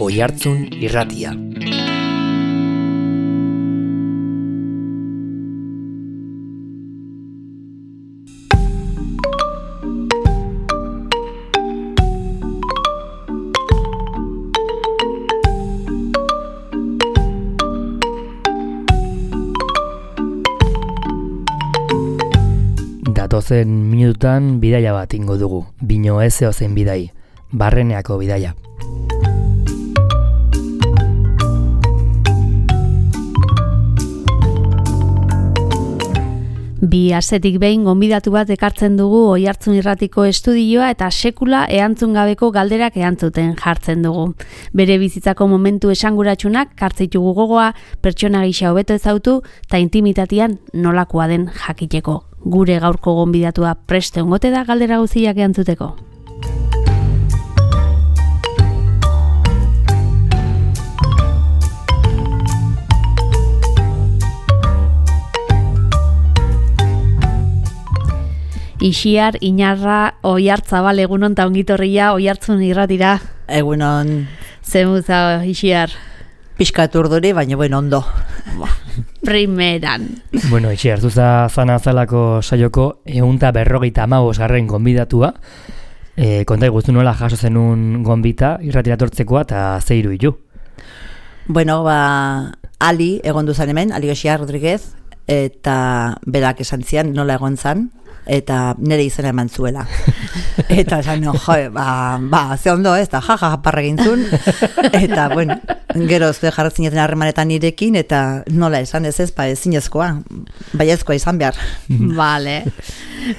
Oihartzun Irratia. Datozen minututan bidaia bat ingo dugu, bino ez zeozen bidai, Barreneako bidaia. Bi astetik behin gonbidatu bat ekartzen dugu Oihartzun Irratiko estudioa eta sekula erantzun gabeko galderak erantzuten jartzen dugu. Bere bizitzako momentu esanguratsunak kartzitugu gogoa, pertsona gisa hobeto ezautu eta intimitatean nolakoa den jakiteko. Gure gaurko gonbidatua preste ongote da galdera guztiak erantzuteko. Ixiar, Inarra, Oihartzabal, egunon eta ongitorria, Oihartzun Irratira. Egunon. Zemuza, Ixiar. Pixkat urduri, baina ondo. Primeran. Bueno, Ixiar, zuza zana zalako saioko 155. Gonbidatua. Konta iguzu nola jaso zenun gonbita irratira tortzekoa eta zeiru hilu. Bueno, Ali egon duzan hemen, Ali Ixiar Rodríguez, eta berak esan zian nola egon zan, eta nire izena eman zuela. Eta esan, ze ondo ez, eta parra gintzun, eta, bueno, gero zue jarratzen jaten harremanetan nirekin, eta nola esan ez, ezinezkoa, baiezkoa izan behar. Vale.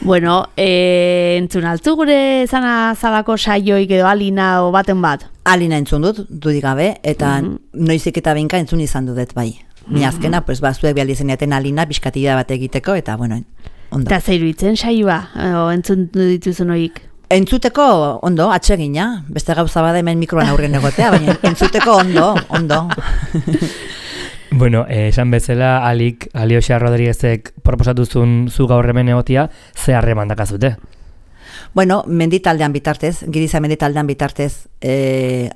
Bueno, entzun altu gure zana zalako saioik edo Alina o baten bat? Alina entzun dut, dudik gabe, eta noizik eta behinka entzun izan dudet bai. Ni azkena, zuek behal izan jaten Alina, biskatida bat egiteko, eta, bueno, ondo. Eta zeiru itzen saioa, entzun dituzun horiek? Entzuteko ondo, atsegina, beste gauza bada hemen mikroan aurren egotea, baina entzuteko ondo. Bueno, esan bezala, Ali Ixiar Rodríguezek proposatuzun zu gaur hemen egotia, ze harreman dakazute? Bueno, menditaldean bitartez, Giriza menditaldean bitartez,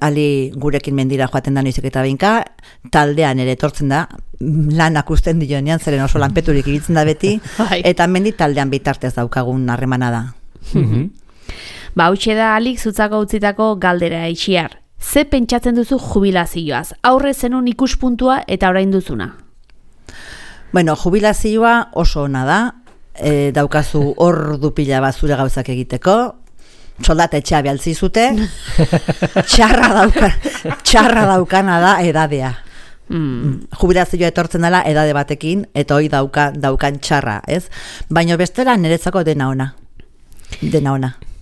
Ali gurekin mendira joaten da noizik eta behinka, taldean ere etortzen da, lanak usten dionean, zeren oso lanpeturik ibiltzen da beti, eta menditaldean bitartez daukagun harremana da. Hautxe da Alik zutzako utzitako galdera, Ixiar. Ze pentsatzen duzu jubilazioaz? Aurre zenun ikuspuntua eta orain duzuna? Bueno, jubilazioa oso ona da, daukazu ordu pila bat zure gauzak egiteko, soldata etxea behaltzi zute, txarra daukana da edadea. Jubilazioa etortzen dela edade batekin, eta hoi daukan txarra, ez? Baina bestela niretzako dena ona.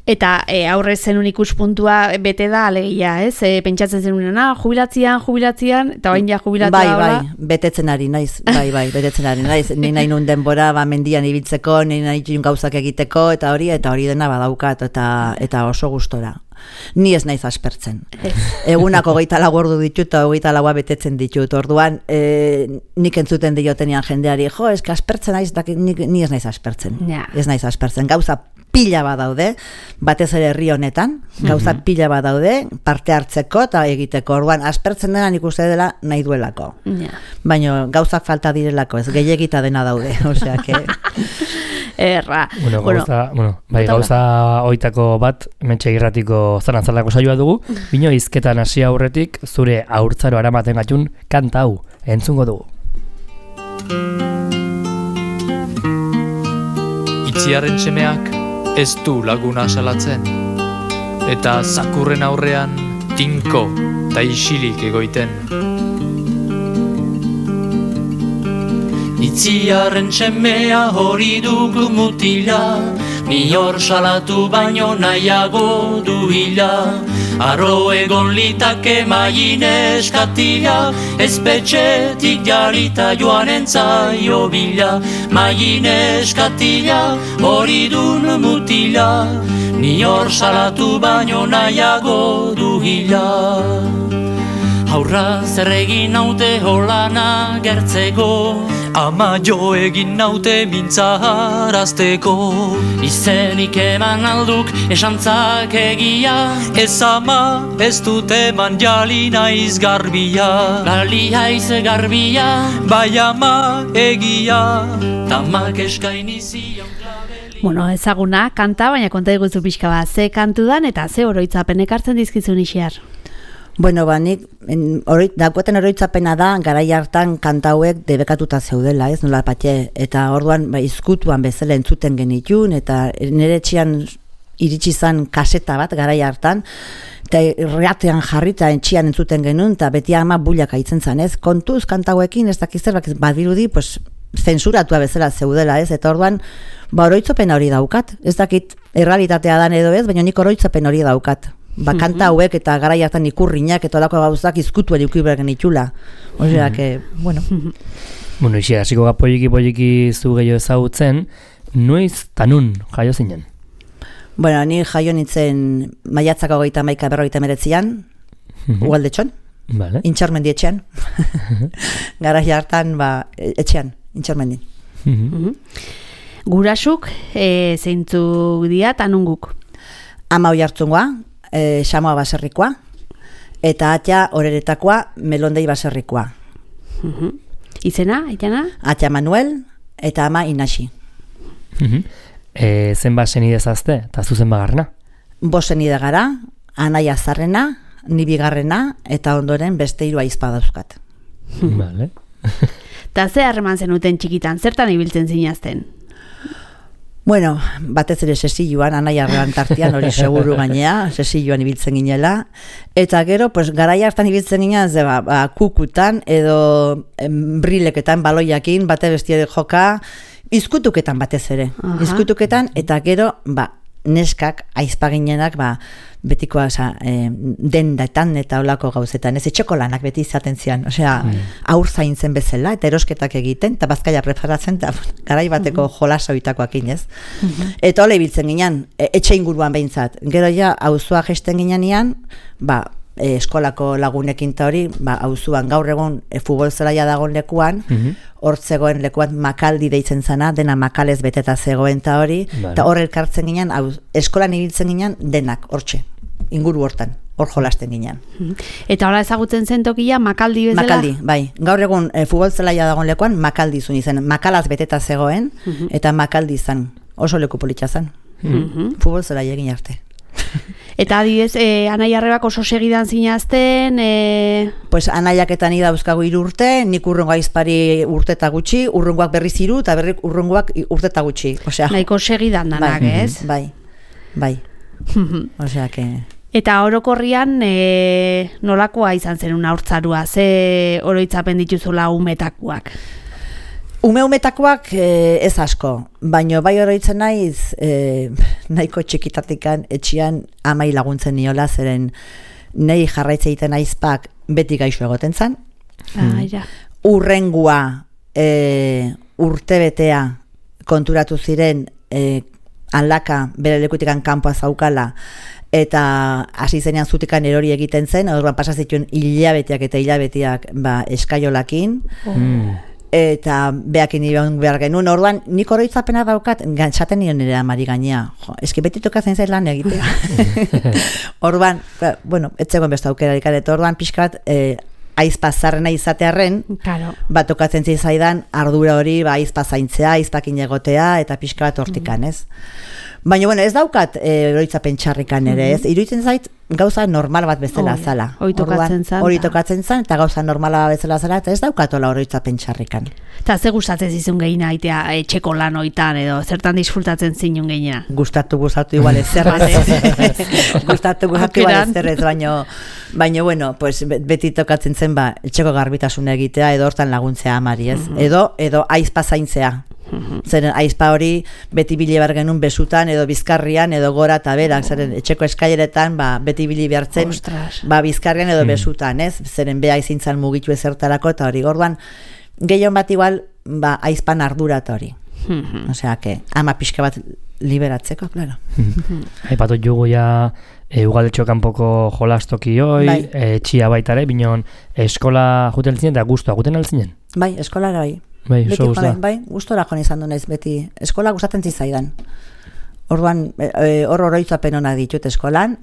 Eta aurre zenun ikuspuntua bete da alegia, ez? Pentsatzen zenunena, jubilatzean, eta bain ja jubilatua Bai, betetzen ari naiz, betetzen ari naiz. Ni nahi nun denbora, mendian ibiltzeko, ni nahi gauzak egiteko, eta hori dena badaukat, eta oso gustora. Ni ez naiz aspertzen. Egunako 24 ordu ditut, eta 24 betetzen ditut. Orduan, nik entzuten diotenean jendeari, eske aspertzen naiz, ni ez naiz aspertzen. Ez naiz aspertzen. Gauza pila bat daude, batez ere herri honetan, gauza pila bat daude, parte hartzeko eta egiteko. Orduan, aspertzen dena nik uste dela nahi duelako. Baina gauzak falta direlako, ez gehiagita dena daude. Osea, que... Erra. Gauza oitako bat, Mentxe Irratiko zanantzalako saioa dugu, bino hizketan hasi aurretik, zure haurtzaro aramaten gatun kanta hau, entzungo dugu. Itziarren semeak ez du laguna salatzen, eta zakurren aurrean tinko eta isilik egoiten. Itziarren semea hori dugu mutila, ni hor salatu baino nahiago du hila. Arro egon litake maien eskatila, espetxetik jarita joan entzaio bila. Maien eskatila hori dun mutila, ni hor salatu baino nahiago du hila. Haur Aurra zer egin naute holana gertzeko, ama jo egin naute mintzaharazteko. Izenik eman alduk esantzak egia, ez ama ez dut eman jali naiz garbia. Gali haiz garbia, bai ama egia, tamak eskaini zion klabeli. Bueno, ezaguna, kanta, baina konta diguzu pixka bat, ze kantu dan eta ze oroitzapen ekartzen dizkizun Ixiar? Bueno, nik daukaten oroitzapena da, garai hartan kanta hauek debekatuta zeudela, ez nola patxe, eta orduan izkutuan bezala entzuten genitun, eta nire etxean iritsi zan kaseta bat garai hartan, eta irratean jarri eta etxean entzuten genuen, eta beti ama bulak aitzen zan, ez? Kontuz kanta hauekin, ez dakiz zerbak badirudi, pues, zensuratua bezala zeudela, ez? Eta orduan, oroitzapen hori daukat, ez dakit errealitatea dan edo ez, baina nik oroitzapen hori daukat. Kanta hauek eta garai hartan ikurriñak eta olako gauzak izkutuen iukibergen itxula. Osea, bueno. Bueno, Ixiar, hasiko ga poliki zu gehiago ezagutzen, noiz tanun jaio zinen? Bueno, ni jaio nintzen maiatzako 31-59an, Ugaldetxon, Vale. Intxarmendi etxean. Garai hartan, etxean, Intxarmendi. Gurasuk, zeintzuk dira tanunguk? Ama Oiartzungoa, Xamoa baserrikoa, eta atia Oreretakoa, Melondei baserrikoa. Izena, aitana? Atia Manuel, eta ama Inaxi. Zenbat senide zazte, eta zuzen bagarna? 5 senide gara, Anaia Zarrena, ni bigarrena, eta ondoren beste 3 ahizpa dauzkat. Vale. Ta ze harreman zenuten txikitan, zertan ibiltzen zinazten? Bueno, batez ere sesilloan, Anaia arrean tartian, hori seguru gainea, sesilloan ibiltzen ginela, eta gero, pues, garai hartan ibiltzen ginen, kukutan, edo brileketan, baloiakin, bate bestia joka, izkutuketan batez ere. Izkutuketan, eta gero, neskak, aizpa ginenak, betikoa, dendetan eta olako gauzetan, ez etxeko lanak beti izaten zian, osea, aur zaintzen bezala, eta erosketak egiten, eta bazkaia preparatzen, eta garai bateko jolasa oitakoak inez. Eta hola ibiltzen ginen, etxe inguruan behintzat. Gero ja, auzoa gesten ginean, eskolako lagunekin ta hori, auzuan gaur egun futbol zelaia dagoen lekuan, hor zegoen lekuan Makaldi deitzen zana, dena makalez beteta zegoen ta hori, eta hor elkartzen ginen, eskolan ibiltzen ginen denak, hortxe, inguru hortan, hor jolasten ginen. Eta hola ezagutzen zen tokia Makaldi bezala? Makaldi, bai. Gaur egun futbol zelaia dagoen lekuan Makaldi zuen izen, makalaz beteta zegoen, eta Makaldi zan, oso leku politxa zan. Futbol zelaia egin arte. Eta adibidez, Anaia arrebak oso segidan zinazten? Pues Anaiak eta ni dauzkagu 3 urte, nik urrungo aizpari urte eta gutxi, urrungoak berriz 3, eta urrungoak urte eta gutxi. Nahiko segidan danak, ez? Bai. Osea, que... Eta orokorrian nolakoa izan zen una hortzarua, ze oroitzapen dituzula umetakoak? Umetakoak ez asko, baino bai oroitzen naiz nahiko txikitatikan etxean amai laguntzen niola, zeren nahi jarraitze egiten aizpak beti gaixo egoten zan. Urrengua urtebetea konturatu ziren aldaka bere lekutikan kanpoa zaukala, eta hasi zenean zutikan erori egiten zen, orduan pasa zituen hilabeteak eta hilabeteak eskaiolakin, eta behakin nion behar genuen, orduan nik oroitzapena daukat, gantzaten nion nire amari gainea, eski beti tokatzen zaiz lan egitea. Orduan, bueno, etzegoen beste aukerarik, eta orduan pixka bat aizpa zarrena izatearren, tokatzen zaidan ardura hori aizpa zaintzea, aizpakin egotea, eta pixka bat hortikan, ez? Baina, bueno, ez daukat oroitzapen txarrikan ere, ez? Iruditzen zait gauza normal bat bezala zala. Hori tokatzen zan, eta gauza normala bezala zala, eta ez daukatola oroitzapen txarrikan. Eta ze gustatzen zizun gehiena aitea etxeko lan oitan, edo zertan disfrutatzen zinun gehiena? Gustatu igual ez zerrez. Gustatu igual ez zerrez, baina, bueno, pues, beti tokatzen zen etxeko garbitasuna egitea, edo hortan laguntzea amari, ez? Edo aizpa zaintzea. Zeren aizpa hori beti bile behar genuen besutan edo bizkarrian edo gora eta berak, zeren etxeko eskaileretan beti bili behartzen bizkarrian edo besutan, ez? Zeren beha izintzan mugitu ezertarako eta hori gorduan gehion bat igual aizpan ardura eta hori. Osea, que ama pixka bat liberatzeko, claro. Aipatu jugu ja Ugaldetxo kanpoko jolastokioi, Bai. Etxia baitare, binon eskola juten altzinen eta guztua juten altzinen? Bai, eskolara bai. Bai, Beti oso joan, guztua. bai, gustora joan izan du naiz beti. Eskola gustatzen zitzaidan. Orduan, hor oroitzapen onak ditut eskolan,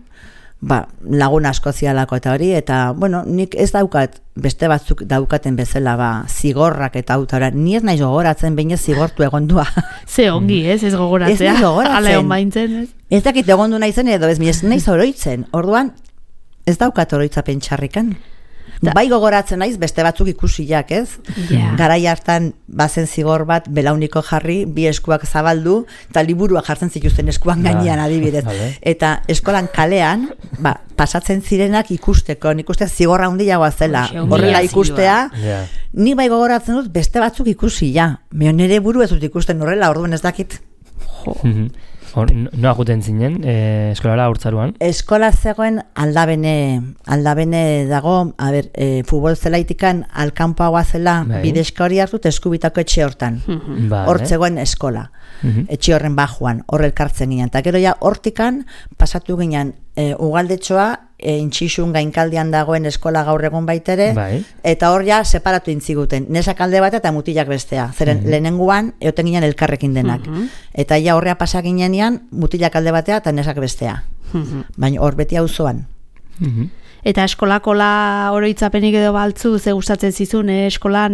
lagun asko zialako eta hori, eta, bueno, nik ez daukat, beste batzuk daukaten bezala, zigorrak eta autora, ni ez naiz gogoratzen behin ez zigortu egondua. Ze ongi, ez gogoratzea. Ez naiz gogoratzen. Ala egon baintzen, ez? Ez dakit egondu naizen edo ez naiz oroitzen. Orduan, ez daukat oroitzapen txarrikan. Bai gogoratzen naiz beste batzuk ikusiak, ez? Ja. Garai hartan bazen zigor bat belauniko jarri, bi eskuak zabaldu, eta liburuak jartzen zituzten eskuan gainean adibidez. Vale. Eta eskolan kalean, pasatzen zirenak ikusteko, nik uste zigorra handiagoa zela. Horrela ikustea, Ja. ni bai gogoratzen dut beste batzuk ikusi, ja. Nire buru ez dut ikusten horrela, orduan ez dakit. Noa juten zinen, eskolara urtzaruan? Eskola zegoen aldabene dago, futbol zelaitikan alkanpoagoa zela, Bai. bidezka hori hartu, Eskubitako etxe hortan. Vale. Hor zegoen eskola. Etxe horren bajuan, hor elkartzen ginen. Eta gero ja hortikan pasatu ginen Ugaldetxoa, intxixun gainkaldian dagoen eskola gaur egun baitere, Bai. eta hor ja separatu intziguten. Nesak alde bat eta mutilak bestea. Zeren lehenengoan eoten ginen elkarrekin denak. Eta ja horrea pasa ginenean mutilak alde batea eta nesak bestea. Baina hor beti auzoan. Eta eskolakola oroitzapenik edo baltzu, ze gustatzen zizun, eskolan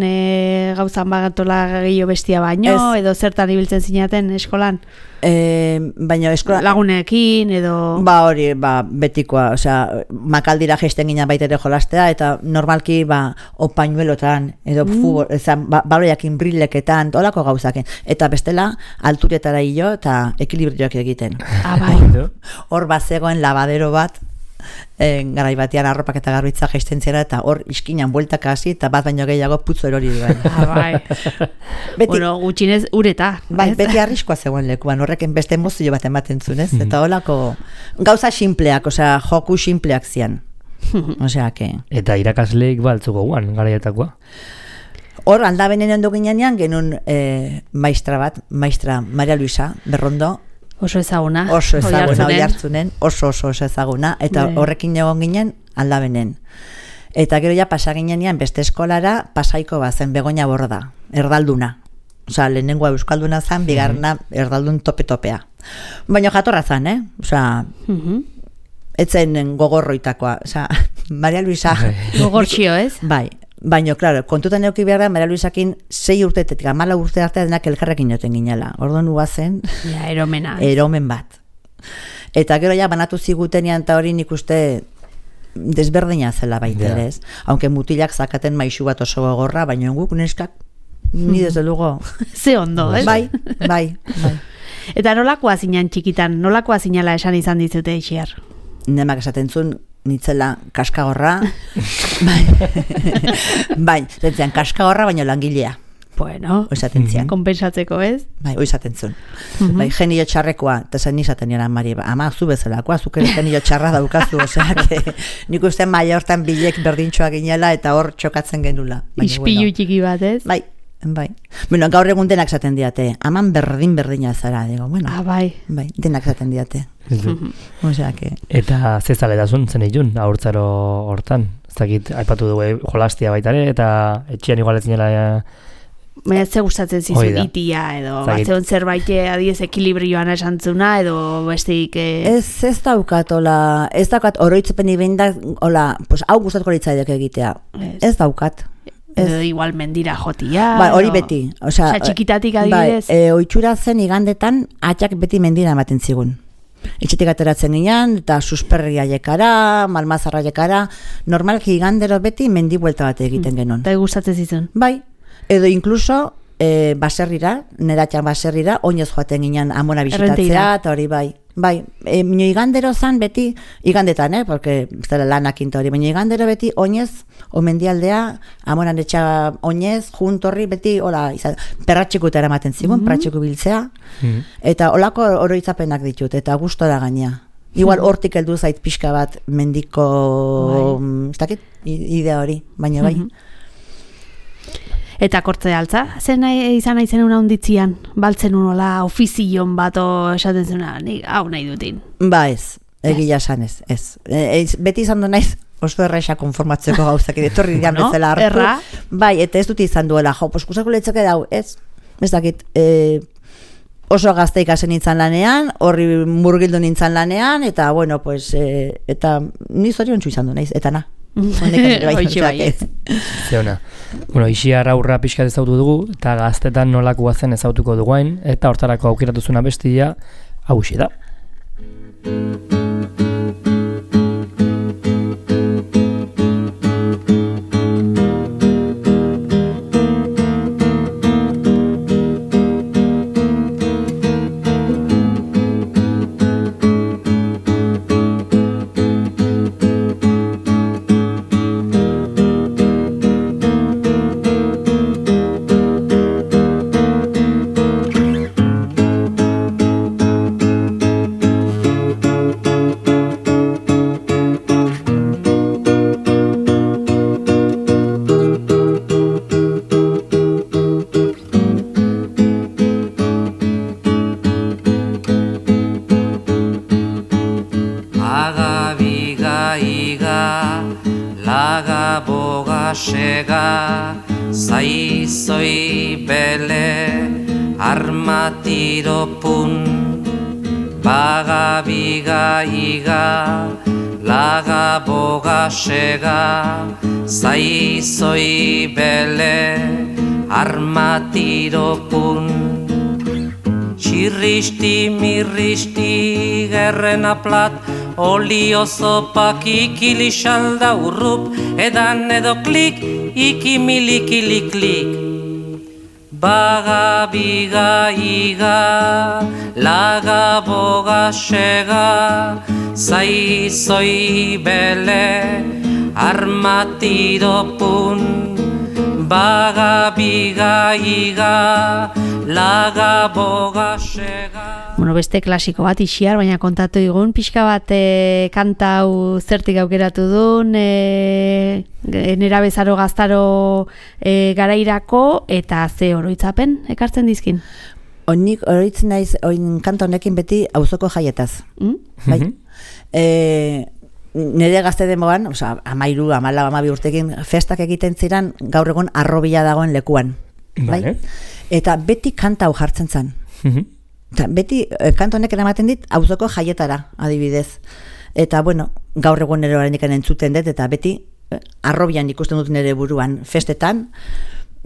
gauzan bagatola gehiago bestia baino, edo zertan ibiltzen zinaten eskolan? Baina eskola... Lagunekin, edo... Hori, betikoa, osea, makaldira gesten ginen baitere jolastea, eta normalki, opainuelotan, edo baloiakin brilleketan, olako gauzaken. Eta bestela, alturetara hilo eta ekilibrioak egiten. Bai. Hor zegoen lavadero bat, garai batean arropak eta garbitza jaisten zera, eta hor iskinan bueltaka hasi eta bat baino gehiago putzu erori duen. Bai. Bueno, gutxinez ureta. Bai, beti arriskoa zegoen lekuan, horreken beste emozio bat ematen zuen, ez? Eta holako gauza sinpleak, osea, joku sinpleak zian. Osea, que... Eta irakasleik baltzuko guan, garaietakoa? Hor, aldabenen ondo ginean, genuen maistra Maria Luisa Berrondo, oso ezaguna Oiartzunen, oso ezaguna, eta horrekin egon ginen aldabenen. Eta gero ja pasa ginean beste eskolara Pasaiko bazen Begoña Borda, erdalduna. Osea, lehenengoa euskalduna zan, bigarrena erdaldun tope-topea. Baina jatorra zan, Osea, etzen gogorroitakoa. Osea, Maria Luisa... Gogortxio, ez? Bai. Baina, klaro, kontutan euki behar da, Maria Luisakin 6 urteetik, 14 urte arte denak elkarrekin joten ginela. Orduan uazen... Ja, eromena. Eromen bat. Eta gero ja banatu zigutenean eta hori nik uste desberdina zela baita ere, ez? Aunque mutilak zakaten maisu bat oso gogorra, baina guk neskak ni desde luego... Ze ondo, ez? Bai. Eta nolakoa zinan txikitan, nolakoa zinala esan izan dizute Ixiar? Nemak esaten zuen, nitzela kaskagorra, bai, zentzean kaskagorra baino langilea. Bueno, oizaten kompensatzeko, ez? Bai, oizaten zuen. Bai, genio txarrekoa, eta zen nizaten niran, Mari, ama, zu bezalakoa, zuk ere genio txarra daukazu, osea, nik uste maia hortan bilek berdintxoa ginela, eta hor txokatzen genula. Ispilu txiki bat, ez? Bai. Bueno, gaur egun denak zaten diate, aman berdina zara, digo, bueno. Bai, denak zaten diate. Osea, que... Eta zezaletasun zen itun, ahurtzaro hortan. Ez dakit, aipatu dugu jolastia baitare, eta etxean igualetzen jela... Baina ze gustatzen zizun itia, edo batzeon zerbait adiez ekilibrioan esantzuna, edo besteik... Ez daukat, oroitzepen ibendak, hau gustatuko litzaidek egitea. Ez daukat. Edo igual mendira jotia. Hori beti. Osea, txikitatik adibidez. Ohitura zen igandetan, atxak beti mendira ematen zigun. Etxetik ateratzen ginen, eta susperria jekara, malmazarra jekara, normalki igandero beti mendi buelta bat egiten genuen. Eta gustatzen zizun. Bai. Edo incluso baserrira, neratxan baserrira, oinez joaten ginen amona bisitatzea, eta hori bai. Bai, minio igandero zan beti, igandetan, porque zela lanak inta hori, minio igandero beti oinez, omendialdea, amonan etxa oinez, juntorri beti, hola, perratxeko eta eramaten zigun, perratxeko biltzea, eta holako oroitzapenak ditut, eta gustora gainea. Igual hortik heldu zait pixka bat mendiko, ez dakit, idea hori, baina bai. Eta kortze altza, zen izan nahi zenuna onditzian, baltzen unola, ofizion bat esaten zuna, hau nahi dutin. Ba ez, Egia esan ez. Beti izan du naiz oso erraixa konformatzeko gauzak etorri dian bezala hartu. Erra? Bai, eta ez dut izan duela, pues kusako letzake dau, ez dakit, oso gazte ikasen nintzen lanean, horri murgildu nintzen lanean, eta bueno, pues, eta ni zoriontsu izan du naiz, eta na. Hoitxe bai. Zeona. Bueno, Ixiar aurra pixkat ezautu dugu, eta gaztetan nolakoa zen ezautuko duguain, eta hortarako aukeratuzuna bestia, hauxe da. sega zaizoi bele armatiropun baga biga iga laga boga sega zaizoi bele armatiropun Txirristi, mirristi, gerrena plat, olio zopak ikilixalda urrup, edan edo klik, ikimilikiliklik. Baga, biga, iga, laga, boga, sega, zaizoi bele, armatiropun. Baga, biga, iga, laga, boga, sega. Bueno, beste klasiko bat Ixiar, baina kontatu digun, pixka bat kanta hau zertik aukeratu duen, nera bezaro gaztaro garairako, eta ze oroitzapen ekartzen dizkin? Onik oroitzen naiz, kanta honekin beti auzoko jaietaz. Bai? Nire gazte demoan, oza, 13, 14, 15 urtekin, festak egiten ziren gaur egun arrobila dagoen lekuan. Bai? Eta beti kanta hau jartzen zen. Eta beti kanta honek eramaten dit auzoko jaietara, adibidez. Eta, bueno, gaur egun nire oraindik entzuten dut, eta beti arrobian ikusten dut nire buruan festetan,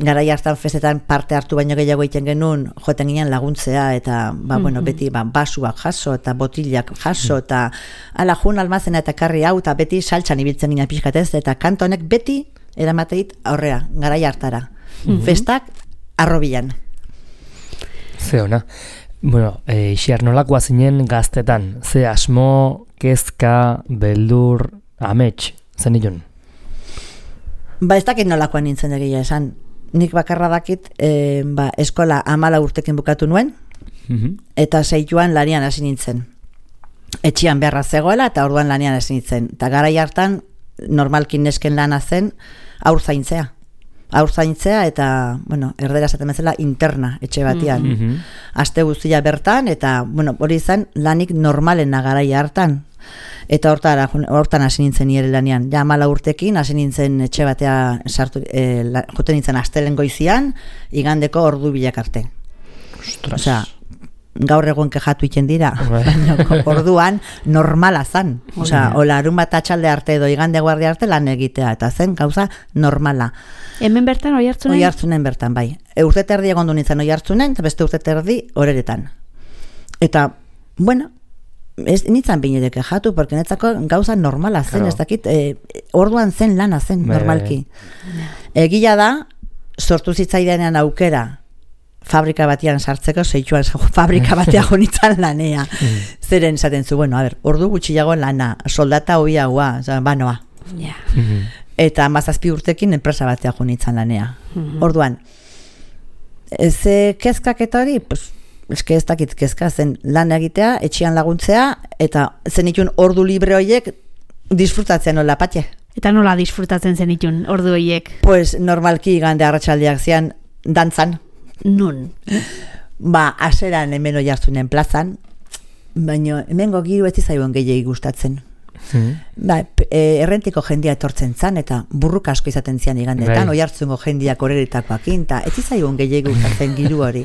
garai hartan festetan parte hartu baino gehiago egiten genuen, joeten ginen laguntzea, eta bueno, beti basuak jaso, eta botilak jaso, eta ala jun almazena eta karri hau, eta beti saltsan ibiltzen ginen pixkatez, eta kanta honek beti eramateit aurrera, garai hartara. Festak arrobian. Ze ona. Bueno, Ixiar, nolakoa zinen gaztetan? Ze asmo, kezka, beldur, amets, zen ilun? Ez dakit nolakoa nintzen egia esan. Nik bakarra dakit, eskola 14 urtekin bukatu nuen, eta 6 lanian hasi nintzen. Etxian beharra zegoela, eta orduan lanian hasi nintzen. Eta garai hartan, normalkin nesken lana zen, aur zaintzea, eta, bueno, erdera esaten bezala interna etxe batean. Aste guztia bertan, eta, bueno, hori izan lanik normalena garai hartan. Eta hortan hasi nintzen nire lanean. Ja 14 urtekin hasi nintzen etxe batea joten nintzen astelen goizian, igandeko ordu bilak arte. Osea, gaur egun kejatu iten dira, baina orduan normala zan. Osea, larun bat atxalde arte edo igande guardia arte lan egitea, eta zen gauza normala. Hemen bertan Oiartzunen? Oiartzunen bertan, bai. Urte terdi egon du nintzen Oiartzunen, eta beste urte terdi Oreretan. Eta, bueno, ez nintzen binire kejatu, porque netzako gauza normala zen, ez dakit, orduan zen lana zen, normalki. Egia da, sortu zitzaidanean aukera, fabrika batean sartzeko, fabrika batean jonitzen lanea. Zeren esaten zu, bueno, a ver, ordu gutxiago lana, soldata hoiagoa, banoa. Eta 17 urtekin enpresa batean jonitzen lanea. Orduan, ze kezkak eta hori, pues, eske ez dakit kezka zen lan egitea, etxean laguntzea, eta zenitun ordu libre horiek disfrutatzen nola patxe. Eta nola disfrutatzen zenitun ordu horiek? Pues normalki igande arratsaldeak zian dantzan. Nun? Aseran hemen Oiartzunen plazan, baina hemengo giro ez zaion gehiegi gustatzen. Ba, errentiko jendia etortzen zan, eta burruk asko izaten zian igandetan, oihartzungo jendiak oreritakoakin, eta ez zaion gehiegi gustatzen giru hori.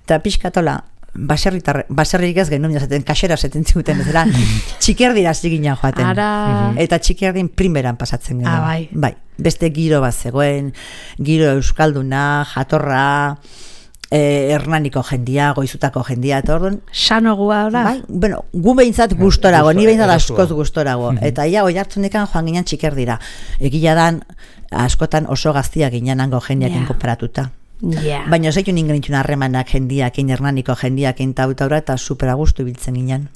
Eta pixkatola, baserrik ez genuen jazaten, kasera zaten ziguten bezala, txikerdira ziginen joaten. Eta txikerdin primeran pasatzen genuen. Bai, beste giro bat zegoen, giro euskalduna, jatorra, Hernaniko jendia, goizutako jendia, eta orduan... Sanogua, ora? Bai, bueno, gu behintzat gustorago, ni behintzat askoz gustorago. Eta ia, oihartzunekan joan ginen txikerdira. Egia dan, askotan oso gaztiak ginen hango jendiakin konparatuta. Baina zeitu ningen itxun harremanak jendiakin, Hernaniko jendiakin tautaura, eta superagustu biltzen ginen.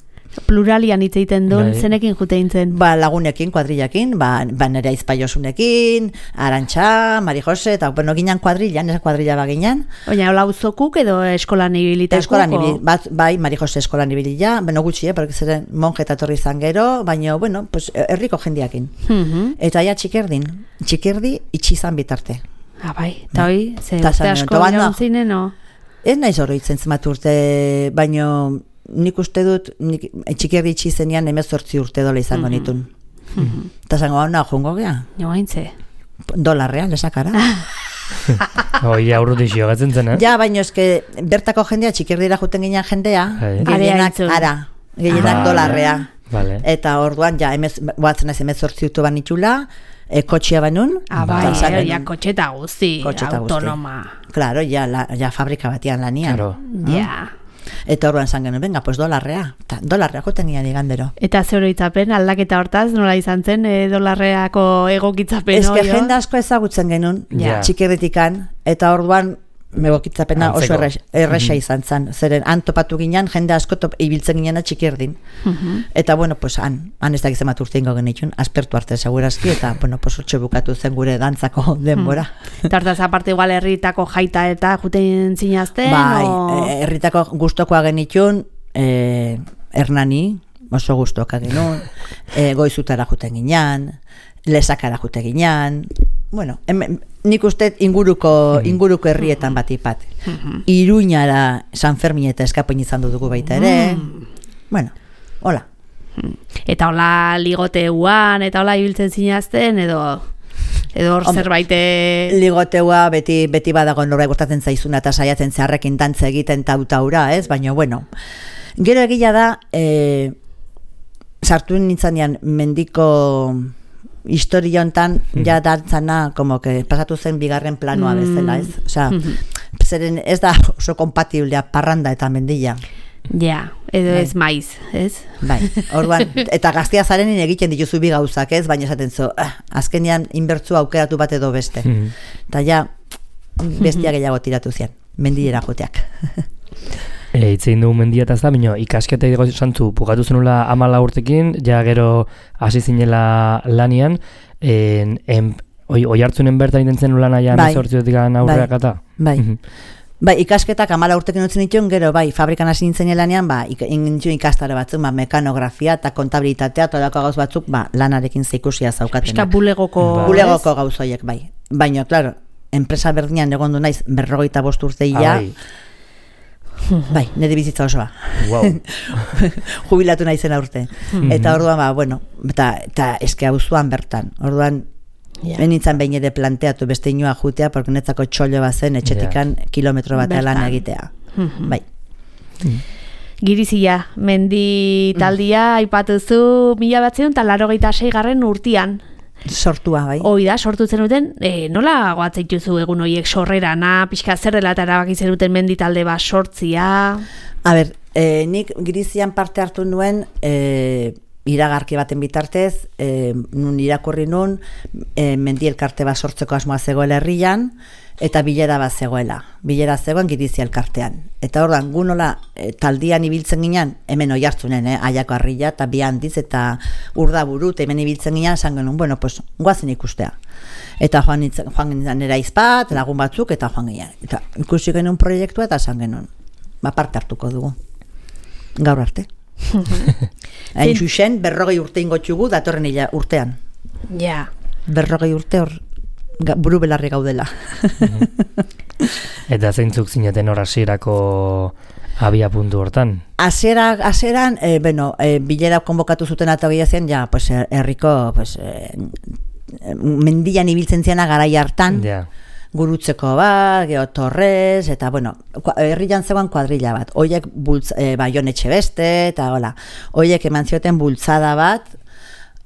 Pluralian hitz egiten duen, zenekin jute eintzen? Ba, lagunekin, kuadrillakin, ba nere aizpaiosunekin, Arantxa, Mari Jose, eta bueno, ginen kuadrillan, esa kuadrilla ba ginen. Oina, hola uzokuk edo eskolan ibilitako? Eskolan ibilitako, bai, Mari Jose eskolan ibilila, beno gutxi, porque zeren monje eta torri izan gero, baina, bueno, pues, herriko jendiakin. Eta ja txikerdi itxizan bitarte. Bai, eta hoi, ze urte asko iraun zinen, no? Ez naiz oroitzen zenbat urte, baina... Nik uste dut, txikerdi itxizenean 18 urte dola izango nitun. Eta zango hau nahi jongo gea? Joaintze. Dolarrean, lesakara. Oi, aurrutik jogatzen zen, Ja, baina eske, bertako jendea, txikerdira juten ginen jendea, gehienak dolarrea. Eta orduan, ja, batzen ez 18 urte ban itxula, kotxea banun. Bai, ja, kotxeta guzti, autonoma. Claro, ja fabrika batian lanian. Ja. Eta orduan zan genuen, venga, pues dolarrea joten gian igandero. Eta ze oroitzapen, aldaketa hortaz, nola izan zen dolarreako egokitzapen? Ez que jende asko ezagutzen genuen, txikerritikan, eta orduan egokitzapena oso erresa izan zen. Zeren, han topatu ginen, jende asko ibiltzen ginen txikerdin. Eta, bueno, pues, han ez da gizemat urte ingo genitxun, aspertu arte segurazki, eta, bueno, pues, otxe bukatu zen gure dantzako denbora. Eta hortaz, aparte igual herritako jaita eta juten zinazten? Bai, herritako gustokoa genitxun, Hernani, oso gustoka genuen, goizutara juten ginen, lesakara juten ginen, bueno, nik uste inguruko herrietan batipat. Iruñara San Fermin eta Eskapoin izan dugu baita ere. Bueno, hola. Eta hola ligoteuan, eta hola ibiltzen zinazten, edo hor zerbaite... Ligoteua beti badago norbait gustatzen zaizuna eta saiatzen zeharrekin dantza egiten tautaura, ez? Baina, bueno, gero egia da, sartu nintzanean mendiko... historia hontan ja dantzana como que pasatu zen bigarren planoa bezala, ez? Osea, zeren ez da oso kompatiblea parranda eta mendilla. Ja, edo ez maiz, ez? Bai, orduan, eta gaztea zarenin egiten dituzu bi gauzak, ez? Baina esaten zu, azkenean inbertzua aukeratu bat edo beste. Eta ja, bestia gehiago tiratu zian, mendillera joteak. Itzein dugu mendia eta ez da, bino, ikasketa edo santzu, pukatu zenula 14 urtekin, ja gero hasi zinela lanian, oihartzunen bertan intentzen lana ja 18 aurreak eta? Bai, ikasketak 14 urtekin utzen dituen, gero, bai, fabrikan hasi nintzen lanean, ingintxun ikastare batzuk, mekanografia eta kontabilitatea, eta olako gauz batzuk, lanarekin zeikusia zaukatenak. Eta bulegoko gauzoiek, bai. Baina, klaro, enpresa berdinean egon du naiz 45 urteia, bai, nire bizitza osoa. Wow. Jubilatu naizen aurte. Eta orduan, bueno, eta eske auzoan bertan. Orduan, benitzen behin ere planteatu beste inoa jutea, porque netzako txollo bazen etxetikan kilometro bat lan egitea. Bai. Girizia, mendi taldia aipatuzu 1986 urtean. Sortua, bai. Hoi da, sortu zenuten, nola goatzaituzu egun horiek sorrerana, pixka zer dela eta erabaki zenuten mendi talde bat sortzia? A ber, nik Girizian parte hartu nuen iragarki baten bitartez, nun irakurri nun, mendi elkarte bat sortzeko asmoa zegoela herrian, eta bilera bat zegoela. Bilera zegoen Girizia elkartean. Eta ordan gu nola taldian ibiltzen ginen, hemen oihartzunen, Aiako Harria eta bi handiz eta Urdaburu, eta hemen ibiltzen ginen, esan genuen, bueno, pues, guazen ikustea. Eta joan ginen nera izpat, lagun batzuk, eta joan ginen. Eta ikusi genuen proiektua, eta esan genuen, parte hartuko dugu. Gaur arte. Hain xuxen, 40 urte ingotxugu, datorren urtean. Ja. 40 urte hor, buru belarri gaudela. Eta zeintzuk zineten hor hasierako abia puntu hortan. Hasieran, bilera konbokatu zuten eta hori zen, ja, pues, herriko, pues, mendian ibiltzen ziana garai hartan, gurutzeko bat, Torres, eta, bueno, herrian zegoen kuadrilla bat. Oiek Baion Etxebeste, eta hola, oiek eman zioten bultzada bat,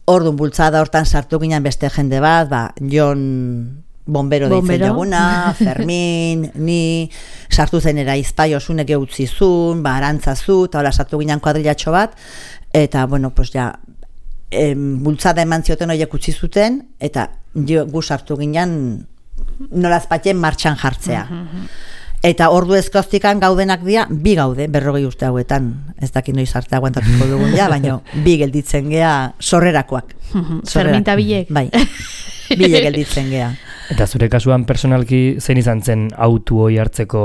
orduan bultzada hortan sartu ginen beste jende bat, Jon Bombero deitzen jaguna, Fermin, ni, sartu zen Eraizpai Osunek eutzizun, Arantzazu, eta hola, sartu ginen kuadrillatxo bat, eta, bueno, pues ja, bultzada eman zioten oiek utzi zuten, eta gu sartu ginen nolazpatien martxan jartzea. Eta ordu ezkoztikan gaudenak dira, bi gaude, 40 urte hauetan, ez dakit noiz arte aguantatuko dugun ja, baina bi gelditzen gea sorrerakoak. Ferminta bilek. Bai, bile gelditzen gea. Eta zure kasuan personalki zein izan zen autu hoi hartzeko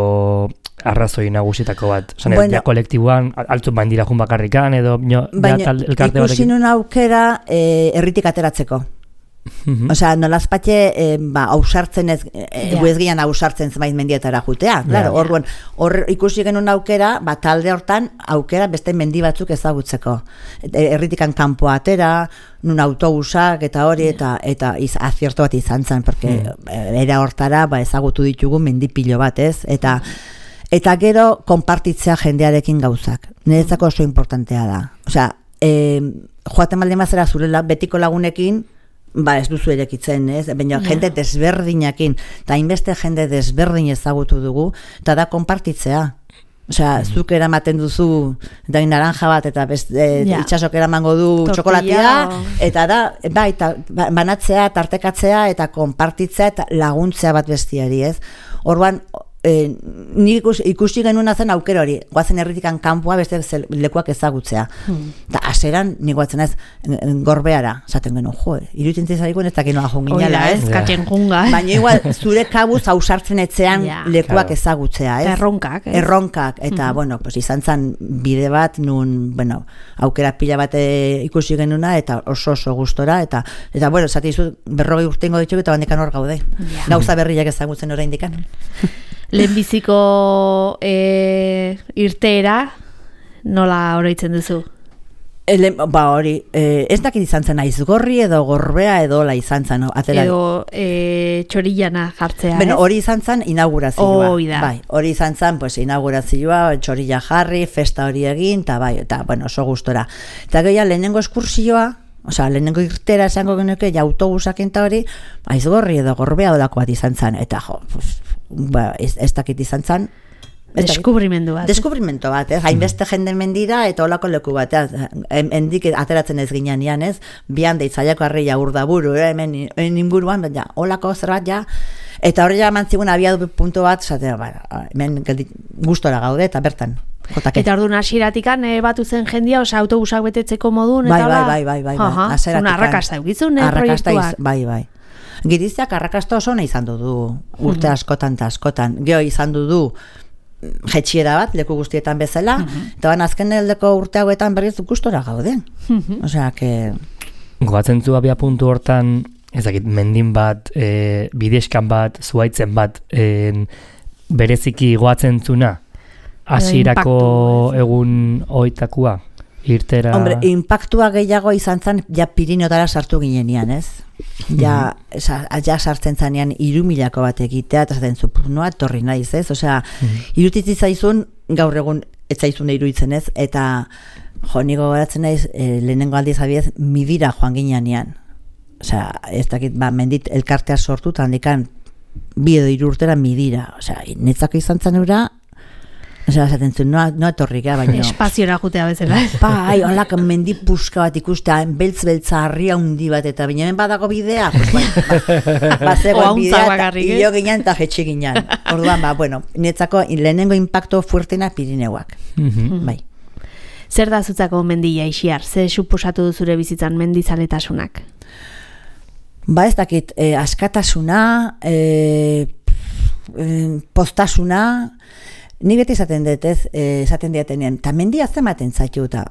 arrazoi nagusitako bat? Osan, ja kolektiboan, altzun bain dira jun bakarrikan, edo baina ikusi nun aukera herritik ateratzeko. Osea, nolazpatxe ausartzen ez, guezgian ausartzen zenbait mendietara jutea. Claro, orduan, ikusi genuen aukera, talde hortan aukera beste mendi batzuk ezagutzeko. Herritikan kanpoa atera, nun autobusak eta hori, eta azierto bat izan zen, porque era hortara ezagutu ditugu mendipilo bat, ez? Eta gero, konpartitzea jendearekin gauzak. Niretzako oso importantea da. Osea, joaten baldin bazera zure betiko lagunekin, ez duzu erekitzen, ez? Baina jende desberdinakin, eta hainbeste jende desberdin ezagutu dugu, eta da konpartitzea. Osea, zuk eramaten duzu dain naranja bat, eta itxasok eramango du txokolatia, eta da, banatzea, tartekatzea, eta konpartitzea, eta laguntzea bat bestiari, ez? Orduan, ni ikusi genuen zen aukera hori, goazen herritikan kanpoa beste lekuak ezagutzea. Eta aseran, ni goatzen ez, Gorbeara, esaten genuen, iruditzen zaiguen ez dakinoa junginala, ez? Katzen junga. Baina igual, zure kabuz ausartzen etzean lekuak ezagutzea, ez? Erronkak, eta, bueno, pues izan zen bide bat, nun, bueno, aukera pila bat ikusi genuna, eta oso gustora, eta bueno, zati izu, 40 urtengo ditu, eta bandekan hor gaude. Gauza berriak ezagutzen oraindikan. Lehenbiziko irteera nola oroitzen duzu? Hori, ez dakit izan zen Aizgorri edo Gorbea edo la izan zen. Edo txorillana jartzea, ez? Hori izan zen inaugurazioa. Bai, hori izan zen inaugurazioa, txorilla jarri, festa hori egin, eta bueno, oso gustora. Eta gehiago lehenengo eskursioa, osea, lehenengo irtera esango genuke, autobusak enta hori, Aizgorri edo Gorbea odako bat izan zen, eta ez dakit izan zen. Deskubrimendu bat. Hainbeste jende mendira eta olako leku bat. Hendik ateratzen ez ginean, ez? Bian deitzaiako arreia urdaburu, hemen inguruan, olako zerbait, ja. Eta hori ja mantzigun abiadu puntu bat, hemen gustora gaude, eta bertan. Eta orduan hasieratikan batu zen jendia, osea autobusak betetzeko modun, eta bai. Arrakasta eukizun, proiektuak. Bai. Giriziak arrakasta oso nahi izan du urte askotan eta askotan. Geo izan du jetxiera bat, leku guztietan bezala, eta azken heldeko urte hauetan berriz gustora gaude. Osea, que... Goatzen zu abia puntu hortan, ezakit, mendin bat, bideskan bat, zuaitzen bat, bereziki goatzen zuna, hasierako egun oitakua, irtera... Hombre, impactua gehiago izan zen, ja Pirinotara sartu ginenean, ez? Ja sartzen zanean 3.000 bat egitea, eta zaten zu, noa torri naiz, ez? Osea, irutitzi zaizun, gaur egun ez zaizun iruditzen, ez? Eta, niko goratzen naiz, lehenengo aldiz abiez, midira joan ginean. Osea, ez dakit, mendit elkartea sortu, eta handikan, 2 edo 3 urtera midira. Osea, netzako izan zanura, osea, zaten zuen, noa torrika, baina... Espaziora jutea bezala. Bai, holak mendi puska bat ikustea, beltz-beltza harria hundi bat, eta binemen badago bidea, bazegoen bidea, hilo ginen eta jetxe ginen. Orduan, bueno, netzako lehenengo impacto fuertena Pirineuak. Bai. Zer da zutzako mendia Ixiar? Ze suposatu du zure bizitzan mendizaleetasunak? Ez dakit, askatasuna, postasuna, Ni beti esaten dut, esaten diatenean, eta mendia zematen zaitu, eta,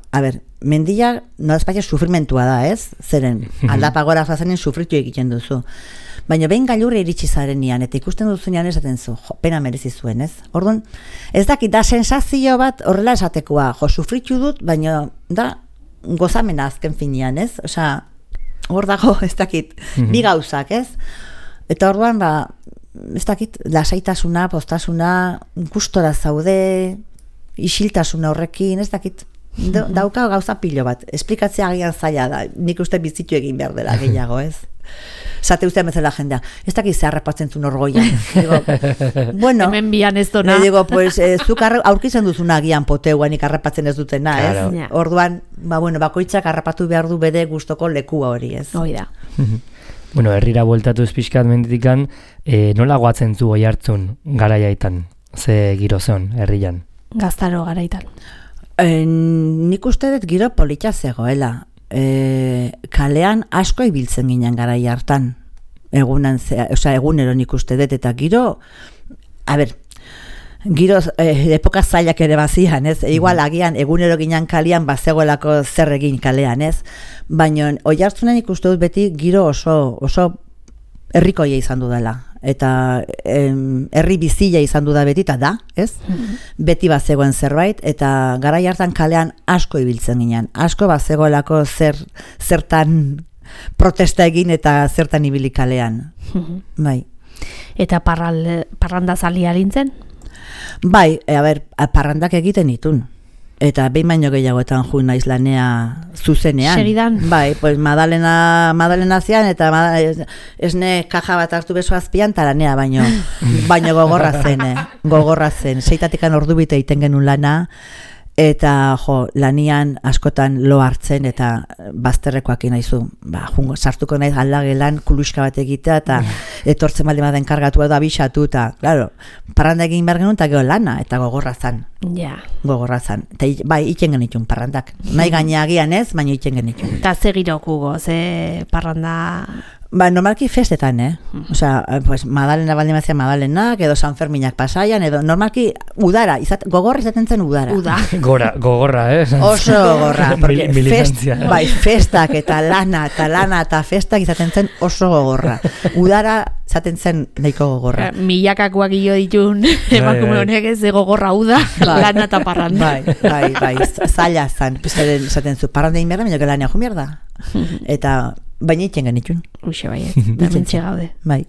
mendia nolazpaitek sufrimentua da, ez? Zeren, aldapagora zazenen sufritu egiten duzu. Baina behin gailurri iritsi zarenian, eta ikusten duzunean esaten zu, pena merezi zuen, ez? Orduan, ez dakit, da sensazio bat horrela esatekoa, sufritu dut, baina da gozamena azken finean, ez? Osea, hor dago, ez dakit, bi gauzak, ez? Eta orduan, ez dakit, lasaitasuna, postasuna, gustora zaude, isiltasuna horrekin, ez dakit, dauka gauza pilo bat, esplikatzea agian zaila da, nik uste bizitu egin behar dela gehiago, ez? Zate ustean bezala jendea, ez dakit ze harrapatzen zuen orgoian. Digo, bueno, hemen bian ez dona. Digo, pues, zuk aurkitzen duzuna agian poteuan harrapatzen ez dutena, claro. Ez? Orduan, bakoitzak harrapatu behar du bere gustoko lekua hori, ez? Hoi da. Bueno, herrira bueltatu pixkat menditikan, nola goatzen zu Oiartzun garaiaitan, ze giro zeon herrian? Gaztaro garaitan. Nik uste dut giro polita zegoela. Kalean asko ibiltzen ginen garai hartan. Egunero nik uste dut, eta giro, giro epoka zailak ere bazian, ez? Igual agian egunero ginen kalean bazegoelako zer egin kalean, ez? Baina Oiartzunen ikuste dut beti giro oso herrikoia izan du dela. Eta herri bizila izan du da beti, eta da, ez? Beti bazegoen zerbait, eta garai hartan kalean asko ibiltzen ginen. Asko bazegoelako zertan protesta egin eta zertan ibili kalean. Bai. Eta parranda zalia lintzen? Bai, parrandak egiten ditun. Eta behin baino gehiagoetan jun naiz lanea zuzenean. Segidan? Bai, pues Madalena zian, eta esne kaja bat hartu beso azpian, eta lanea baino gogorra zen. Seitatikan ordu bite egiten genuen lana, eta lanian askotan lo hartzen, eta bazterrekoak inaizu. Sartuko naiz aldagelan kuluska bat egitea, eta etortzen baldin baden kargatu edo abisatu, eta, claro, parranda egin behar genuen, eta gero lana, eta gogorra zan. Ja. Gogorra zan. Eta bai, iten genitun parrandak. Nahi gaineagian ez, baina iten genitun. Eta ze girokugo, ze parranda... Normalki festetan, Osea, pues Madalena baldin bazia Madalenak, edo San Ferminak Pasaian, edo normalki udara, gogorra izaten zen udara. Gogorra, Oso gogorra, porque militantzia. Festak eta lana eta festak izaten zen oso gogorra. Udara izaten zen nahiko gogorra. Milakakoak hilo ditun emakume honek ez gogorra uda, lana eta parranda. Bai, zaila zan, izaten zu, parranda inberda, baina lana jo mierda. Eta baina iten genitun. Uxe baiet, bermentxe gaude. Bai.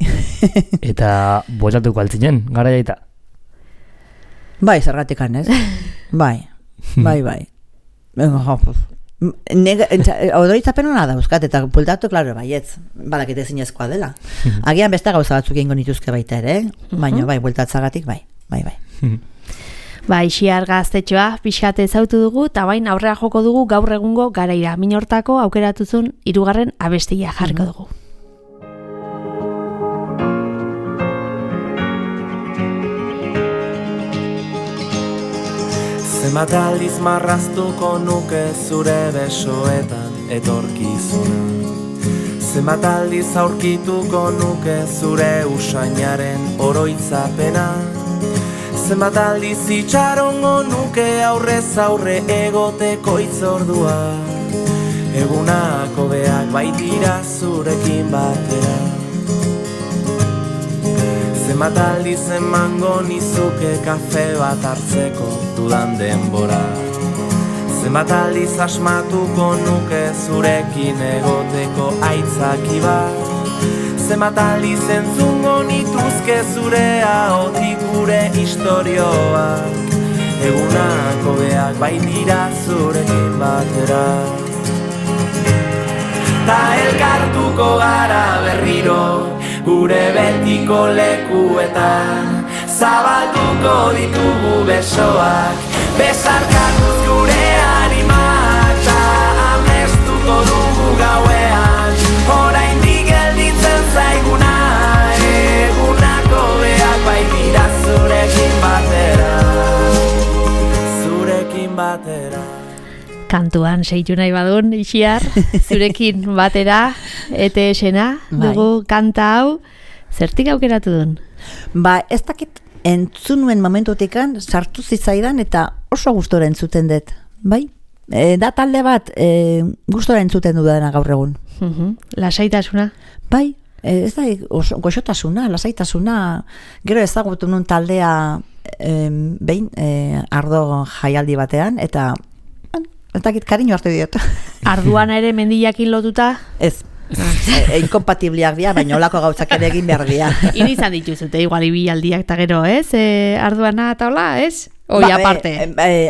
Eta bueltatuko altzinen, garaiaita? Bai, zergatikan, ez? Bai. Odoritzapen hona dauzkat, eta bueltatu, klaro, baietz, badakite zinezkoa dela. Agian beste gauza batzuk egingo nituzke baita ere, baina bai, bueltatzagatik, bai. Xiar Gaztetxoa pixkate ezautu dugu, eta bain aurrera joko dugu gaur egungo garaira. Minortako aukeratuzun 3. abestia jarriko dugu. Zenbat aldiz marraztuko nuke zure besoetan etorkizuna. Zenbat aldiz aurkituko nuke zure usainaren oroitzapena. Zenbat aldiz itxarongo nuke aurrez aurre egoteko itzordua. Egunak hobeak baitira zurekin batera. Zenbat aldiz emango nizuke kafe bat hartzeko dudan denbora. Zenbat aldiz asmatuko nuke zurekin egoteko aitzaki bat. Zenbat aldiz entzungo nituzke zure ahotik gure istorioak. Egunak hobeak baitira zurekin batera. Ta elkartuko gara berriro gure betiko lekuetan. Zabalduko ditugu besoak, besarkatuz gure animak. Ta amestuko dugu gauean, oraindik gelditzen zaiguna. Egunako beak baitira zurekin batera. Kantuan seitu nahi badun, Xiar, zurekin batera, ETS-ena, dugu kanta hau, zertik aukeratu duen? Ez dakit entzun nuen momentutekan sartu zitzaidan eta oso gustora entzuten dut, bai? Da talde bat gustora entzuten dudana gaur egun. Lasaitasuna? Bai, ez da, goxotasuna, lasaitasuna, gero ezagutu nun taldea behin ardo jaialdi batean, eta kariño hartu diot. Arduana ere mendiakin lotuta? Ez. Inkompatibliak dira, baina olako gauzak ere egin behar dira. Hini izan dituzute, igual ibilaldiak eta gero, ez? Arduana eta hola, ez? Oi, aparte.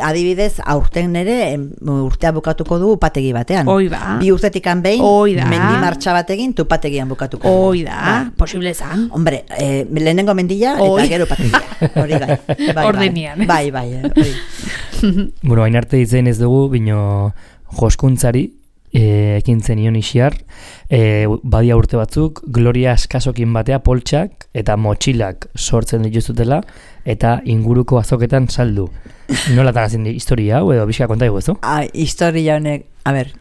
Adibidez, aurten ere, urtea bukatuko du upategi batean. Oi ba. 2 urtetik behin, mendi martxa batekin, upategian bukatuko du. Oi da, posible zan. Hombre, lehenengo mendila eta gero upategia. Hori gai. Ordenian. Bai. Bueno, hain arte ditzen ez dugu, bino joskuntzari, ekin zenion isiar, badia urte batzuk, Gloria eskasokin batea poltsak eta motxilak sortzen dituzutela, eta inguruko azoketan saldu. Nolatan hazin historia hau, edo bizka konta eguzu? Historia honek, a ber,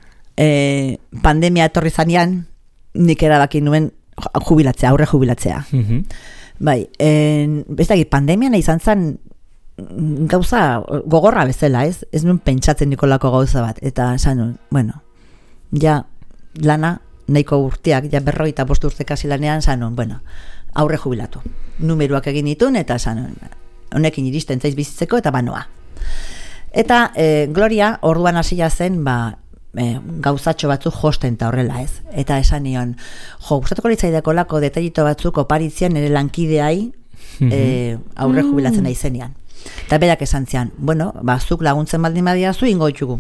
pandemia etorri zanean, nik erabaki nuen aurre jubilatzea. Bai, pandemian izan zen gauza gogorra bezala, ez nuen pentsatzen nikolako gauza bat, eta esan nuen, bueno, ja lana nahiko urteak, ja 45 urte kasi lanean, esan nuen, aurre jubilatu. Numeruak egin ditun, eta esan nuen, honekin iristen zaiz bizitzeko, eta banoa. Eta Gloria orduan hasia zen, gauzatxo batzuk josten eta horrela, ez? Eta esan nion, gustatuko litzaideko lako detailito batzuk oparitzean ere lankideai aurre jubilatzen nahi zenean. Eta berak esan zian, zuk laguntzen baldin badiazu ingo ditugu.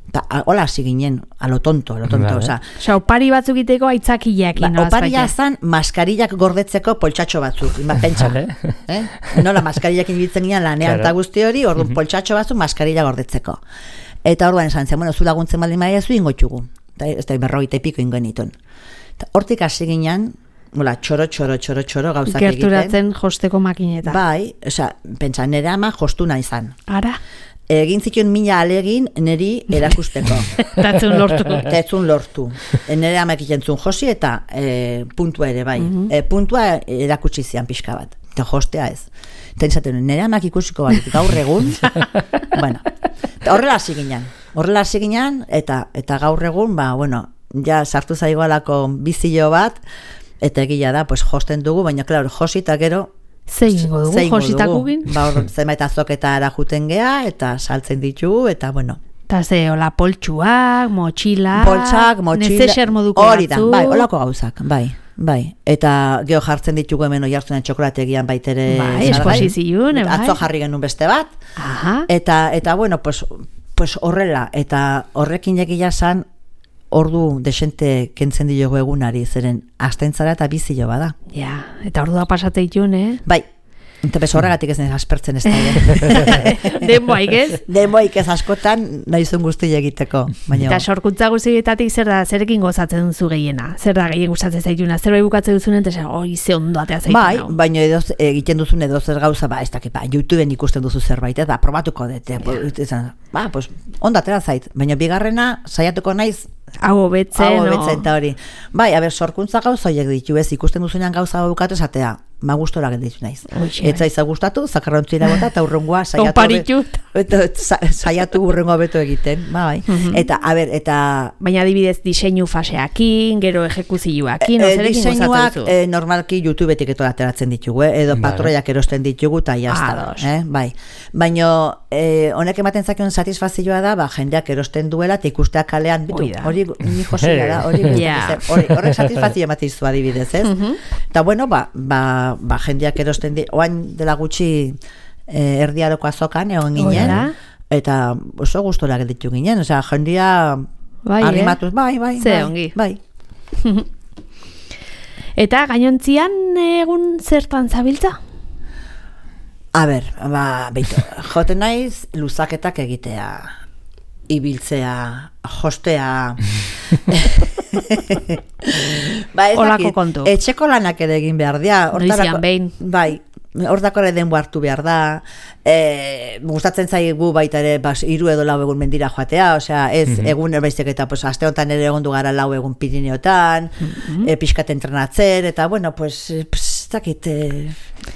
Eta hola hasi ginen, a lo tonto. Osa, opari batzuk iteko aitzakileak. Oparia zan maskarillak gordetzeko poltsatxo batzuk. Pentsa. Nola maskarillak inbitzen ginen lanean eta guzti hori, orduan poltsatxo batzuk maskarilla gordetzeko. Eta orduan esan zian, zu laguntzen baldin badiazu ingo ditugu. Ez da 40 piko ingo nituen. Hortik hasi ginen, txoro gauzak egiten. Gerturatzen josteko makineta. Bai, pentsa, nire ama jostuna izan. Ara? Egin zituen 1000 alegin niri erakusteko. Tetzun lortu. Nire ama ekikentzun josi eta puntua ere, bai. Puntua erakutsi zian pixka bat. Eta jostea ez. Eta izaten, nire amak ikusiko bat, gaur egun. Horrela hasi ginen, eta gaur egun, ja sartu zaigoalako bizio bat, eta egila da, josten dugu, baina, klaro, josi eta gero, Zeingo dugu, jositakugin? Zenbait azoketara juten gea, eta saltzen ditugu, eta Eta ze, hola, poltsuak, motxilak, nezeser moduko hori da, bai, holako gauzak, bai. Eta geho jartzen ditugu hemen oihartzunen txokolategian baitere. Bai, esposizioen, bai. Atzo jarri genuen beste bat. Eta pues horrela, eta horrekin egia zan, ordu desente kentzen diogu egunari, zeren astentzara eta bizio bada. Ja, eta ordua pasate ditun, Bai, eta horregatik ez aspertzen ez da. Denboaik ez? Denboaik ez askotan nahizun guzti egiteko. Eta sorkuntza guztietatik zer da, zerekin gozatzen duzu gehiena? Zer da gehien gustatzen zaituna? Zer bai bukatzen duzunen, eta ze ondo atea zaituna? Bai, baina egiten duzun edo zer gauza, ez dakit, YouTubeen ikusten duzu zerbait, eta probatuko dute. Pues ondo atea zait, baina bigarrena saiatuko naiz hau betzen, eta hori. Bai, sorkuntza gauza horiek ditu, ez ikusten duzunean gauza bukatu esatea, gustora gelditu naiz. Etza izan gustatu, zakarrontzira bota, eta urrengoa saiatu urrengoa beto egiten. Bai. Eta, baina adibidez diseinu faseakin, gero ejekuzioakin, diseinuak normalki YouTubetik eto ateratzen ditugu, edo patroiak erosten ditugu, eta jazta. Bai. Baina honek ematen zakion satisfazioa da, jendeak erosten duela, eta ikusteak kalean, hori ni josila da, horrek satisfazio ematizu adibidez, ez? Eta bueno, jendeak erosten oain dela gutxi erdiaroko azokan egon ginen, eta oso gustora gelditu ginen, jendia animatuz, bai. Ze ongi. Bai. Eta gainontzian egun zertan zabiltza? A ber, beitu, joten naiz luzaketak egitea, ibiltzea, jostea. Olako kontu. Etxeko lanak ere egin behar dira. Noizian behin. Bai, hortako ere denbo hartu behar da. Gustatzen zaigu baita ere 3 edo 4 egun mendira joatea, ez egun erbaizik eta aste honetan ere egondu gara 4 egun Pirineotan, pixkat entrenatzen, eta bueno, dakit,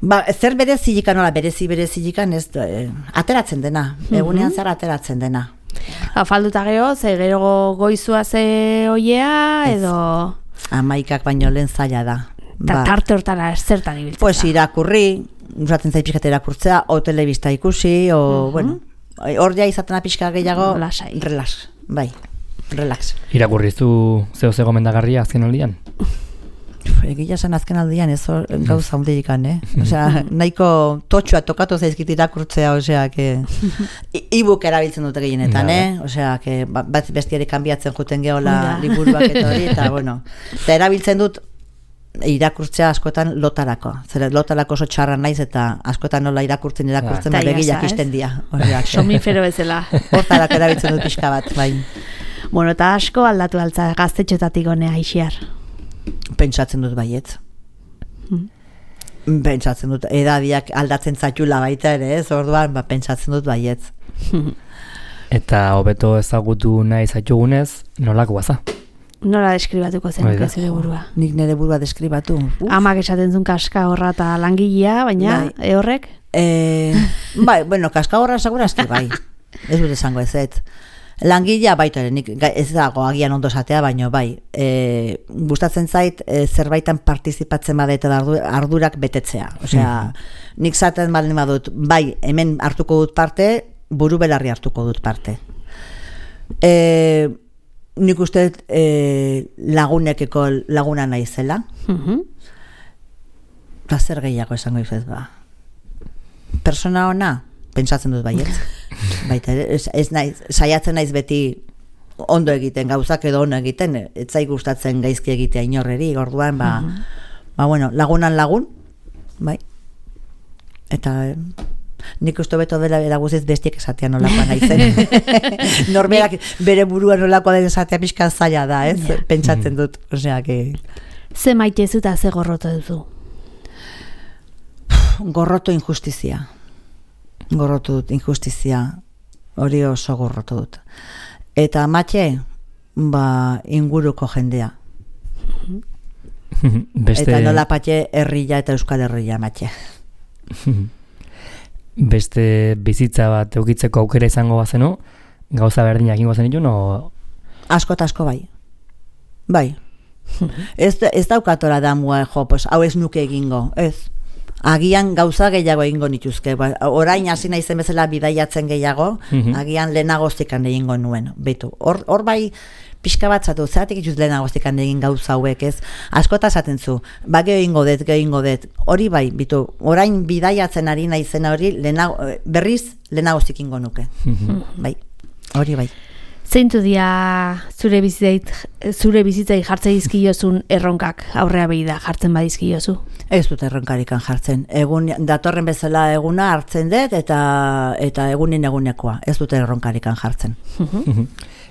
Zer berezilikan, nola berezilikan, ez ateratzen dena, egunean zer ateratzen dena. Falduta geho, ze gero goizua ze oiea, edo... 11 baino lehen zaila da. Eta tarte hortara zertan ibiltzen. Pues irakurri, usatzen zait pixkat irakurtzea, o telebista ikusi, o, bueno, hor ja izatena pixka gehiago, relax. Irakurrizu zeo gomendagarria azken aldian? Egia esan azken aldian ez gauza hundikan, Osea, nahiko totxua tokatu zaizkit irakurtzea, osea, que e-book erabiltzen dute gehienetan, Osea, que bat bestiari kanbiatzen juten gehola liburuak eta hori, eta bueno, eta erabiltzen dut irakurtzea askotan lotarako. Zer lotarako oso txarra naiz eta askotan nola irakurtzen begilak isten dira. Somifero bezala. Hortarako erabiltzen dut pixka bat, bai. Bueno, eta asko aldatu altza gaztetxotatik honea Ixiar. Pentsatzen dut baiet. Pentsatzen dut, edadiak aldatzen zaitula baita ere, ez? Orduan, pentsatzen dut baiet. Eta hobeto ezagutu nahi zaitugunez, nolako baza? Nola deskribatuko zenuke zure burua? Nik nire burua deskribatu. Amak esaten zuen kaska horra eta langilea, baina horrek? Bai, bueno, kaska horra segurazki bai. Ez dut esango ez. Langilea baita ere, nik ez dago agian ondo esatea, baino bai. Gustatzen zait zerbaitan partizipatzen badete ardurak betetzea. Osea, nik zaten baldin badut, bai, hemen hartuko dut parte, buru belarri hartuko dut parte. Nik uste lagunekeko laguna naizela. Zer gehiago esango izuz ba. Persona ona, pentsatzen dut baiet. Baita, saiatzen naiz beti ondo egiten, gauzak edo ondo egiten, ez zai gustatzen gaizki egitea inorreri, orduan, bueno, lagunan lagun, bai. Eta... nik uste beto dela eraguziz bestiek esatea nolakoa naizen. Norberak bere burua nolakoa den esatea pixka zaila da, ez? Pentsatzen dut, osea, que... Ze maitezu eta ze gorroto duzu? Gorroto injustizia. Gorroto dut, injustizia. Hori oso gorroto dut. Eta matxe, inguruko jendea. Eta nola patxe herria eta euskal herria matxe. Beste bizitza bat eukitzeko aukera izango bazenu, gauza berdinak ingo zenitun, o... Asko eta asko bai. Bai. Ez daukatora damua, pues, hau ez nuke egingo, ez. Agian gauza gehiago egingo nituzke. Orain hasi naizen bezala bidaiatzen gehiago, agian lehenagoztikan egingo nuen. Betu, hor bai, pixka bat zatu, zeratik ituz lehenagoztikan egin gauza hauek, ez? Askota esaten zu, geho ingo det, hori bai, bitu, orain bidaiatzen ari naizena hori, berriz lehenagoztik ingo nuke. Bai, hori bai. Zeintu dia zure bizitzai jartzen dizkiozun erronkak aurrea behi da jartzen badizkiozu? Ez dut erronkarikan jartzen. Egun datorren bezala eguna hartzen dut eta egunin egunekoa. Ez dut erronkarikan jartzen.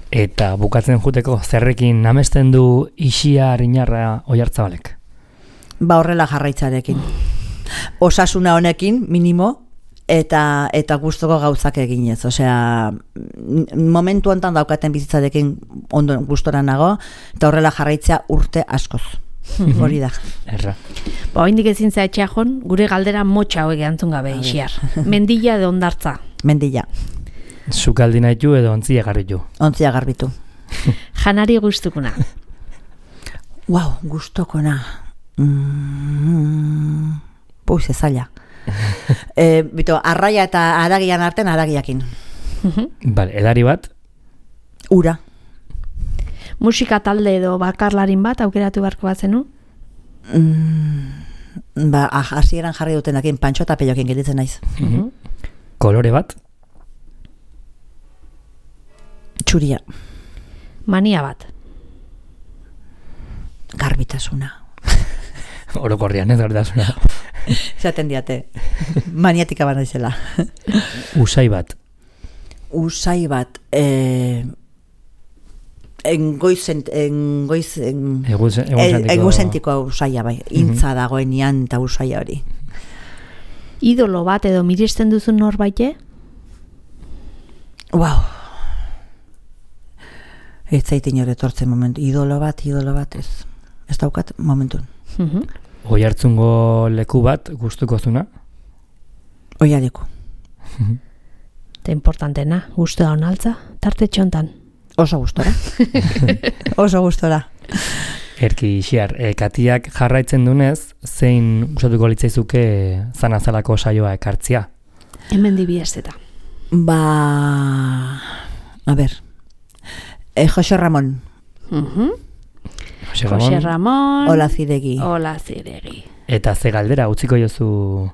Eta bukatzen juteko zerrekin amesten du Ixiar Inarra Oiartzabalek? Horrela jarraitzarekin. Osasuna honekin, minimo, eta gustoko gauzak eginez. Osea, momentu hontan daukaten bizitzarekin ondo gustora nago, eta horrela jarraitzea urte askoz. Hori da. Erra. Oraindik ezin zea etxeajon, gure galdera motxa hauek antzun gabe Ixiar. Mendilla edo hondartza? Mendilla. Sukaldi nahitu edo ontzia garbitu? Ontzia garbitu. Janari gustukuna? Wow, gustokona. Puiz, ezaila. Bito, arraia eta aragian arten aragiakin. Bale, edari bat? Ura. Musika talde edo bakarlarin bat aukeratu beharko bat zenu? Hasieran jarri dutenakin Pantxo eta Peiokin gelditzen naiz. Kolore bat? Txuria. Mania bat? Garbitasuna. Orokorrian, ez garbitasuna. Zaten diate. Maniatika bat naizela. Usai bat? Usai bat... egozentiko usaia bai. Intza dagoenian eta usaia hori. Idolo bat edo miresten duzun norbaite? Wow. Ez zaitin hori etortzen momentu. Idolo bat ez. Ez daukat momentun. Oiartzungo leku bat gustuko zuna? Oialeku. Eta importantena, gustu da onaltza, tarte txontan. Oso gustora. Oso gustora. Erki Ixiar, Katiak jarraitzen dunez, zein usatuko litzaizuke zanazalako saioa ekartzia? Hemen dibiesteta. A ber, Jose Ramon. Jose Ramon. Ola Ziregi. Eta ze galdera utziko jozu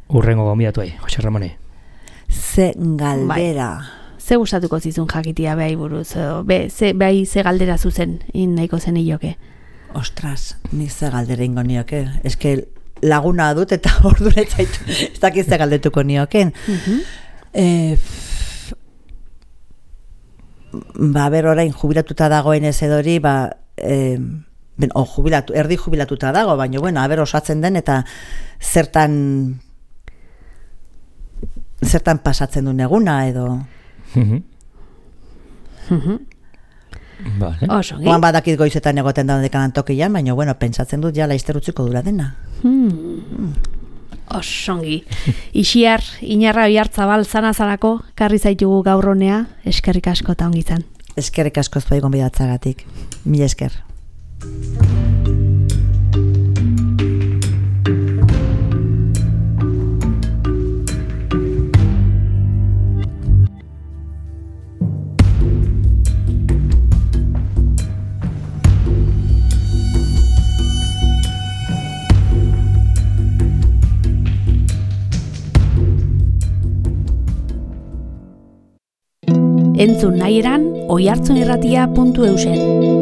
urrengo gonbidatuei, Jose Ramone? Ze galdera. Ze gustatuko zizun jakitia behai buruz, ze galdera zuzen nahiko zen ioke? Ostras, ni ze galdera ingo nioke. Eske laguna dut eta ordura zaitu. Ez dakiz ze galdetuko nioken. Ber orain jubilatuta dagoen ez edori, erdi jubilatuta dago, baina bueno, osatzen den eta zertan pasatzen duen eguna edo... Vale. Oan badakit goizetan egoten da dekanan tokian, baina bueno, pentsatzen dut ja laizter utziko dura dena. Osongi. Ixiar, Inarra Oiartzabal zanazalako, karri zaitugu gaur honea, eskerrik asko eta ongi izan. Eskerrik asko zuei gonbidatzagatik. Mila esker. Entzun nahi eran, oiartzunirratia.eusen.